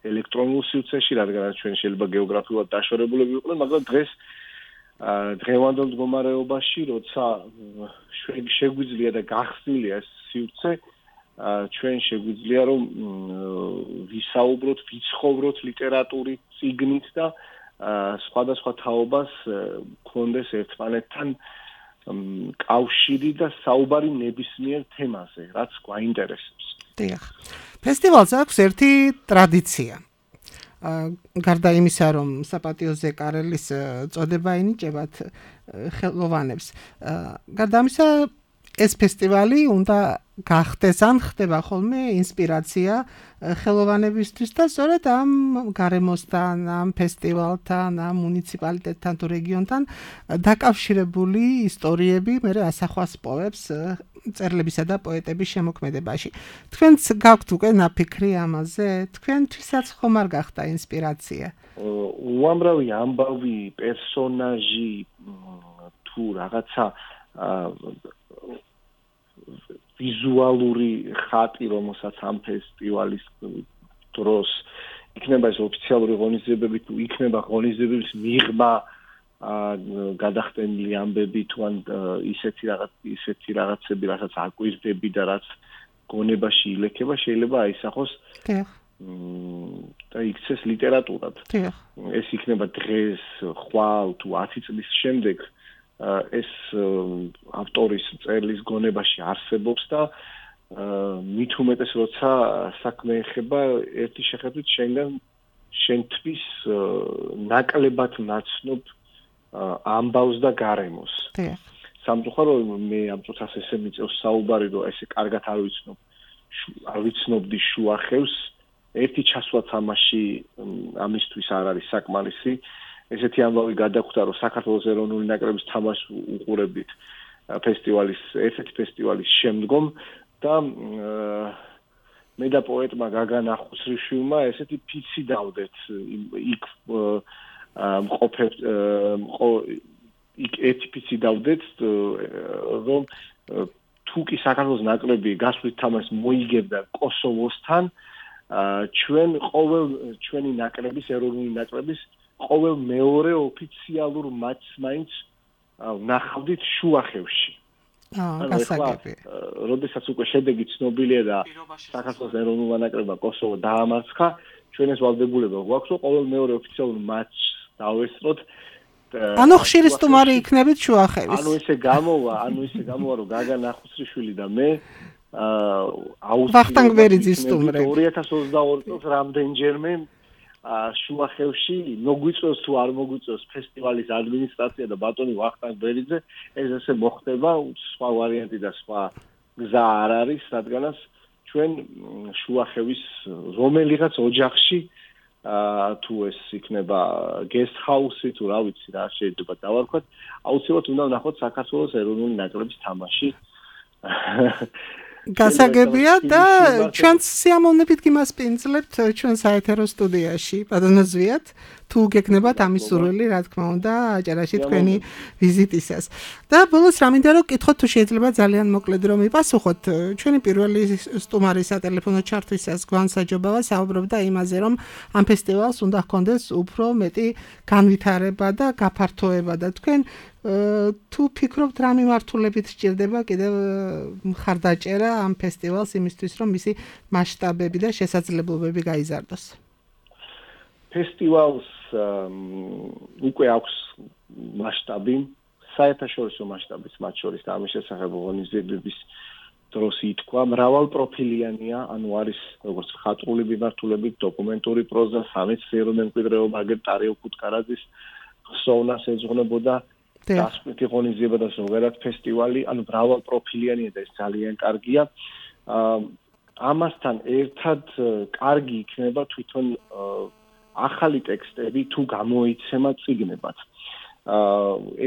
ელექტრონულ სივრცეში, რადგან ჩვენ შეიძლება გეოგრაფიულად დაშორებულები ვიყოთ, მაგრამ დღეს დღევანდელ მდგომარეობაში, როცა შეგვიძლია და გახსნილია ეს სივრცე, ჩვენ შეგვიძლია რომ ვისაუბროთ, ვიცხოვროთ ლიტერატურით, წიგნით და სხვადასხვა თაობას გქონდეს ერთმანეთთან კავშირი და საუბარი ნებისმიერ თემაზე, რაც გვაინტერესებს. დიახ. ფესტივალს აქვს ერთი ტრადიცია. გარდა იმისა, რომ საპატიო ზეკარელის წოდება ენიჭებათ ხელოვანებს. გარდა ამისა, ეს ფესტივალი უნდა გახდეს ან ხდება ხოლმე ინსპირაცია ხელოვანებისთვის და სწორედ ამ გარემოსთან, ამ ფესტივალთან, ამ მუნიციპალიტეტთან თუ რეგიონთან დაკავშირებული ისტორიები მე ასახვას პოებს წერლებისა და პოეტების შემოქმედებაში. თქვენც გაქვთ უკვე ნაფიქრი ამაზე? თქვენთვისაც ხომ არ გახდა ინსპირაცია? უამრავი ამბავი, პერსონაჟი თუ რაღაცა ვიზუალური ხატი, რომელსაც ამ ფესტივალის დროს იქნება ეს ოფიციალური ღონისძიებები, თუ იქნება ღონისძიებების მიღმა გადახდენილი ამბები თუ ან ისეთი რაღაცები, რასაც აკვირდები და რაც გონებაში ილექება, შეიძლება აისახოს და იქცეს ლიტერატურად. ეს იქნება დღეს, ხვალ თუ 10 წლის შემდეგ ეს ავტორის წერლის გონებაში არსებობს და მით უმეტეს როცა საქმე ეხება ერთი შეხედვით შენთვის ნაკლებად ნაცნობ ამბავს და გარემოს. სამწუხაროდ მე ამ წუთას ესე მიწევს საუბარი, რომ ესე კარგად არ ვიცნობდი შუახევს, ერთი ჩასვაც ამისთვის არ არის საკმარისი. ესეთი ამბავი გადაგვხდა, რომ საქართველოს ეროვნული ნაკრების თამაშს უყურებით ერთ-ერთი ფესტივალის შემდგომ და მე და პოეტმა გაგან ახუსრიშვილმა ესეთი ფიცი დავდეთ იქ იქ ერთი ფიცი დავდეთ, რომ თუ კი საქართველოს ნაკრები გასვლით თამაშს მოიგებდა კოსოვოსთან, ჩვენი ნაკრების, ეროვნული ნაკრების ყოველ მეორე ოფიციალურ მატჩს მაინც ვნახავდით შუახევში. გასაგები. როდესაც უკვე შედეგი ცნობილია და საქართველოს ეროვნულმა ნაკრებმა კოსოვო დაამარცხა, ჩვენ ეს ვალდებულება გვაქვს, რომ ყოველ მეორე ოფიციალურ მატჩს დავესწროთ. ანუ ხშირი სტუმარი იქნებით შუახევის. ანუ ესე გამოვა, რომ გაგან ახუსრიშვილი და მე ვახტანგ ბერიძის სტუმრები 2022 წელს რამდენჯერმე შუახევში მოგვიწევს თუ არ მოგვიწევს ფესტივალის ადმინისტრაცია და ბატონი ვახტანგ ბერიძე, ეს ესე მოხდება, სხვა ვარიანტი და სხვა გზა არ არის, რადგანაც ჩვენ შუახევის რომელიღაც ოჯახში თუ ეს იქნება guest house-ი თუ რა ვიცი რა შეიძლება დავარქვათ, აუცილებლად უნდა ვნახოთ საქართველოს ეროვნული ნაკრების თამაში. გასაგებია და ჩვენს სიამოვნებით გიმასპინძლებთ ჩვენ საეთერო სტუდიაში. ბატონო ზვიად, თუ გეკნებათ ამის სურვილი, რა თქმა უნდა, აჭარაში თქვენი ვიზიტისას. და ბოლოს რა მინდა რომ გითხოთ, თუ შეიძლება ძალიან მოკლედ რომ მიპასუხოთ. ჩვენი პირველი სტუმარი სატელეფონო ჩართვისას გვანსაჯობავა საუბრობდა იმაზე, რომ ამ ფესტივალს უნდა ჰქონდეს უფრო მეტი განვითარება და გაფართოება და თქვენ თუ ფიქრობთ რა მიმართულებით სჭირდება კიდევ მხარდაჭერა ამ ფესტივალს იმისთვის, რომ მისი მასშტაბები და შესაძლებლობები გაიზარდოს. ფესტივალს უკვე აქვს მასშტაბი, საერთაშორისო მასშტაბის, მათ შორის და ამის შესახებ ღონისძიებების დროს ითქვა, მრავალპროფილიანია, ანუ არის როგორც მხატვრული მიმართულებით, დოკუმენტური პროზა, სამეცნიერო მემკვიდრეობა, აგერ ტარიო ქუთკარაძის ხსოვნას ეძღვნებოდა დასკვეთი ღონისძიება და ზოგადად ფესტივალი, ანუ მრავალპროფილიანია და ეს ძალიან კარგია. ამასთან ერთად კარგი იქნება თვითონ ახალი ტექსტები თუ გამოიცემა წიგნებად.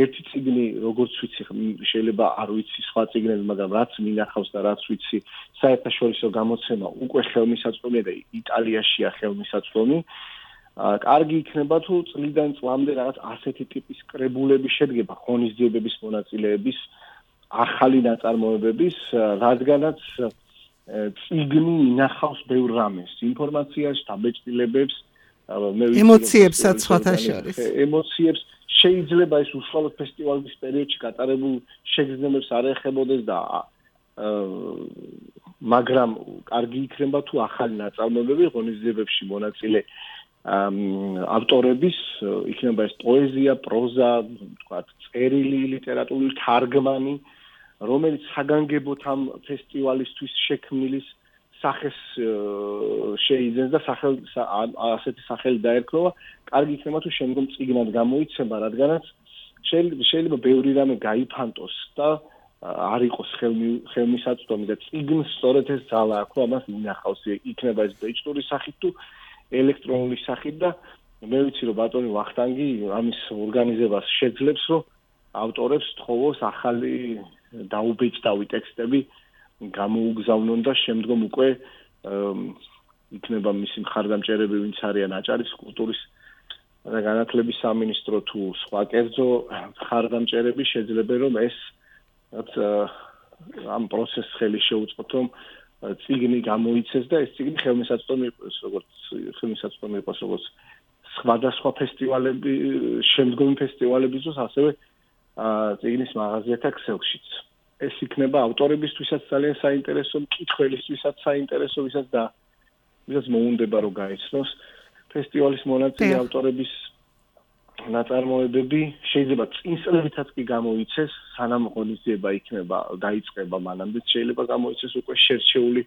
ერთი წიგნი, როგორც ვიცი, შეიძლება არ ვიცი სხვა წიგნები, მაგრამ რაც მინახავს და რაც ვიცი, საერთაშორისო გამოცემა უკვე ხელმისაწვდომია და იტალიაშია ხელმისაწვდომი. კარგი იქნება თუ წლიდან წლამდე რაღაც ასეთი ტიპის კრებულები შედგება ღონისძიებების მონაწილეების ახალი ნაწარმოებების, რადგანაც წიგნი ინახავს ბევრ რამეს, ინფორმაციას, დაბეჭდილებებს, ემოციებსაც სხვათა შორის. ემოციებს შეიძლება ეს უშუალოდ ფესტივალის პერიოდში გატარებულ შეგრძნებებს არ ეხებოდეს და მაგრამ კარგი იქნება თუ ახალი ნაწარმოებები ღონისძიებებში მონაწილე ავტორების იქნება ეს პოეზია, პროზა, თქვათ, წერილი, ლიტერატურული თარგმანი, რომელიც საგანგებოდ ამ ფესტივალისთვის შექმნილის სახეს შეიძენს და ასეთი სახელი დაერქვა, კარგი იქნება თუ შემდგომ წიგნად გამოიცემა, რადგანაც შეიძლება ბევრი რამე გაიფანტოს და არ იყოს ხელმისაწვდომი და წიგნს სწორედ ეს ძალა აქვს, ამას ინახავს, იქნება ეს ბეჭდური სახით თუ ელექტრონული სახით და მე ვიცი რომ ბატონი ვახტანგი ამის ორგანიზებას შეძლებს, რომ ავტორებს თხოვოს ახალი დაუბეჭდავი ტექსტები გამოუგზავნონ და შემდგომ უკვე იქნება მისი მხარდამჭერები, ვინც არიან აჭარის კულტურის და განათლების სამინისტრო თუ სხვა კერძო მხარდამჭერები შეძლებენ რომ ეს ამ პროცესს ხელი შეუწყოთ, რომ წიგნი გამოიცეს და ეს წიგნი ხელმისაწვდომი იყოს როგორც სხვადასხვა ფესტივალები, შემდგომი ფესტივალებისთვის, ასევე წიგნის მაღაზიათა ქსელშიც. ეს იქნება ავტორებისთვისაც ძალიან საინტერესო, მკითხველისთვისაც საინტერესო, ვისაც მოუნდება რომ გაიცნოს ფესტივალის მონაწილე ავტორების ნაწარმოებები, შეიძლება წინსვლებითაც კი გამოიცეს, სანამ ღონისძიება იქნება დაიწყება მანამდე, შეიძლება გამოიცეს უკვე შერჩეული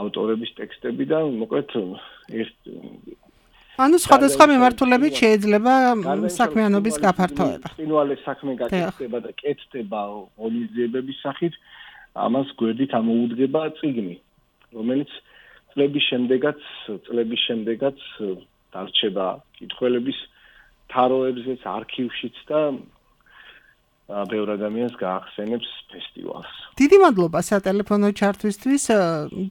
ავტორების ტექსტები და მოკლედ ანუ სხვადასხვა მიმართულებით შეიძლება საქმიანობის გაფართოება. წინვალე საქმე გაკეთდება და კეთდება ღონისძიებების სახით, ამას გვერდით ამოუდგება წიგნი, რომელიც წლების შემდეგაც დარჩება კითხველების თაროებზეც, არქივშიც და ბევრ ადამიანს გაახსენებს ფესტივალს. დიდი მადლობა სატელეფონო ჩართვისთვის,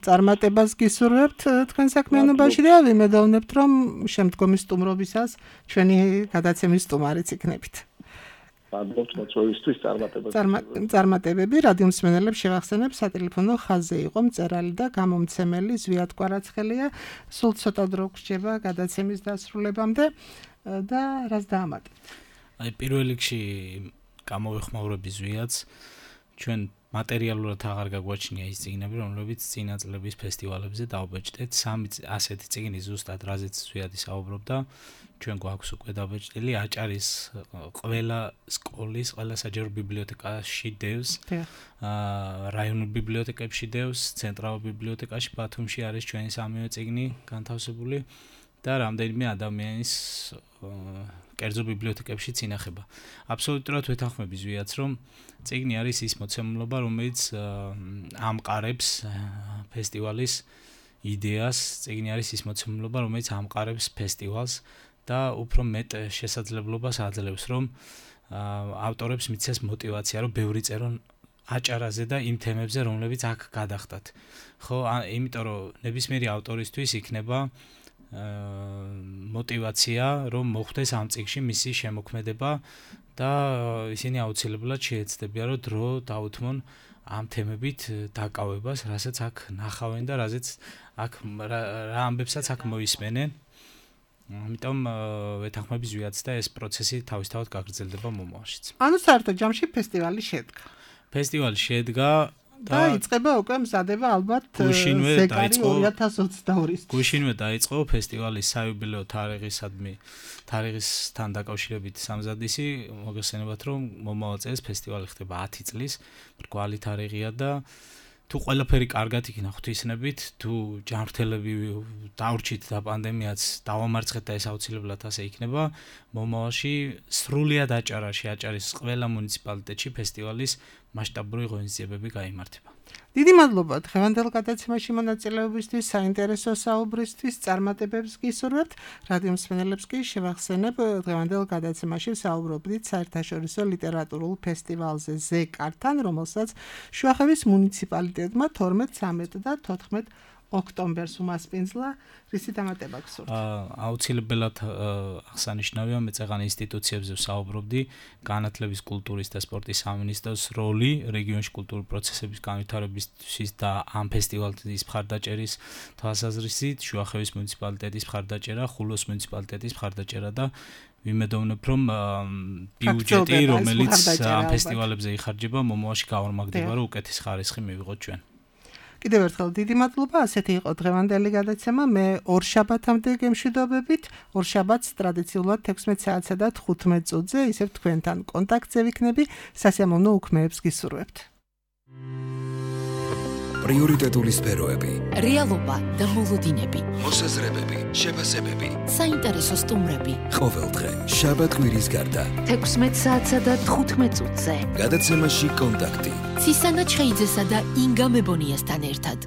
წარმატებას გისურვებთ თქვენ საქმიანობაში და ვიმედოვნებთ, რომ შემდგომი სტუმრობისას ჩვენი გადაცემის სტუმარიც იქნებით. მადლობთ მოწვევისთვის, წარმატებები. რადიო მსმენელებს შევახსენებ, სატელეფონო ხაზზე იყო მწერალი და გამომცემელი ზვიად კვარაცხელია. სულ ცოტა დრო გრჩება გადაცემის დასრულებამდე და რას დაამატებთ? აი პირველ რიგში გამოვეხმაურები ზვიადს, ჩვენ მატერიალურად აღარ გაგვაჩნია ის წიგნები, რომლებიც წინა წლების ფესტივალებზე დაუბეჭდეთ. 3 ასეთი წიგნი ზუსტად რაზეც ზვიადი საუბრობდა, ჩვენ გვაქვს უკვე დაბეჭდილი, აჭარის ყველა სკოლის, ყველა საჯარო ბიბლიოთეკაში დევს, რაიონულ ბიბლიოთეკებში დევს, ცენტრალურ ბიბლიოთეკაში ბათუმში არის ჩვენი 3 წიგნი განთავსებული და რამდენიმე ადამიანის კერძო ბიბლიოთეკებშიც ინახება. აბსოლუტურად ვეთანხმები ზვიადს, რომ წიგნი არის ის მოცემულობა, რომელიც ამყარებს ფესტივალის იდეას, წიგნი არის ის მოცემულობა, რომელიც ამყარებს ფესტივალს და უფრო მეტ შესაძლებლობას აძლევს, რომ ავტორებს მიცეს мотиваცია, რომ ბევრი წერონ აჭარაზე და იმ თემებზე, რომლებიც აქ გადახდათ. ხო, იმიტომ რომ ნებისმიერი ავტორისთვის იქნება мотиваცია, რომ მოხდეს ამ წიგნში მისი შემოქმედება და ისინი აუცილებლად შეეცდებიან, რომ დრო დაუთმონ ამ თემებით დაკავებას, რასაც აქ ნახავენ და რაზეც აქ რა ამბებსაც აქ მოისმენენ. ამიტომ ვეთანხმები ზვიადს და ეს პროცესი თავისთავად გაგრძელდება მომავალშიც. ანუ საერთოდ ჯამში ფესტივალი შედგა. ფესტივალი შედგა და იწყება უკვე მზადება ალბათ ზეკარი 2022-ის. გუშინვე დაიწყო ფესტივალის საიუბილეო თარიღისთან დაკავშირებით სამზადისი, მოგესალმებათ, რომ მომავალ წელს ფესტივალი ხდება 10 წლის, მრგვალი თარიღია და თუ ყველაფერი კარგად იქნა ღვთისნებით, თუ ჯანმრთელები დაურჩით და პანდემიაც დავამარცხეთ და ეს აუცილებლად ასე იქნება, მომავალში სრულიად აჭარაში, აჭარის ყველა მუნიციპალიტეტში ფესტივალის მასშტაბური ღონისძიებები გაიმართება. დიდი მადლობა დღევანდელ გადაცემაში მონაწილეობისთვის, საინტერესო საუბრისთვის, წარმატებებს გისურვებთ. რადიო მსმენელებს კი შევახსენებ, დღევანდელ გადაცემაში საუბრობდით საერთაშორისო ლიტერატურულ ფესტივალზე ზეკართან, რომელსაც შუახევის მუნიციპალიტეტმა 12, 13 და 14 ოქტომბერს უმასპინძლა, რისი დამატება გსურთ? აუცილებლად აღსანიშნავია, მე წეღან ინსტიტუციებზე ვსაუბრობდი, განათლების, კულტურის და სპორტის სამინისტროს როლი რეგიონში კულტურული პროცესების განვითარებისთვის და ამ ფესტივალის მხარდაჭერის თვალსაზრისით, შუახევის მუნიციპალიტეტის მხარდაჭერა, ხულოს მუნიციპალიტეტის მხარდაჭერა და ვიმედოვნებ, რომ ბიუჯეტი, რომელიც ამ ფესტივალებზე იხარჯება, მომავალში გავორმაგდება, რომ უკეთეს ხარისხი მივიღოთ ჩვენ. კიდევ ერთხელ დიდი მადლობა, ასეთი იყო დღევანდელი გადაცემა. მე ორ შაბათამდე გემშვიდობებით, ორ შაბათს ტრადიციულად 16 საათსა და 15 წუთზე ისევ თქვენთან კონტაქტზე ვიქნები, სასიამოვნო უქმეებს გისურვებთ. პრიორიტეტული სფეროები, რეალობა და მოლოდინები, მოსაზრებები, შეფასებები, საინტერესო სტუმრები. ყოველდღე შაბათ-კვირის გარდა 16 საათსა და 15 წუთზე. გადაცემაში კონტაქტი. ცისანა ჩხეიძესა და ინგა მებონიასთან ერთად.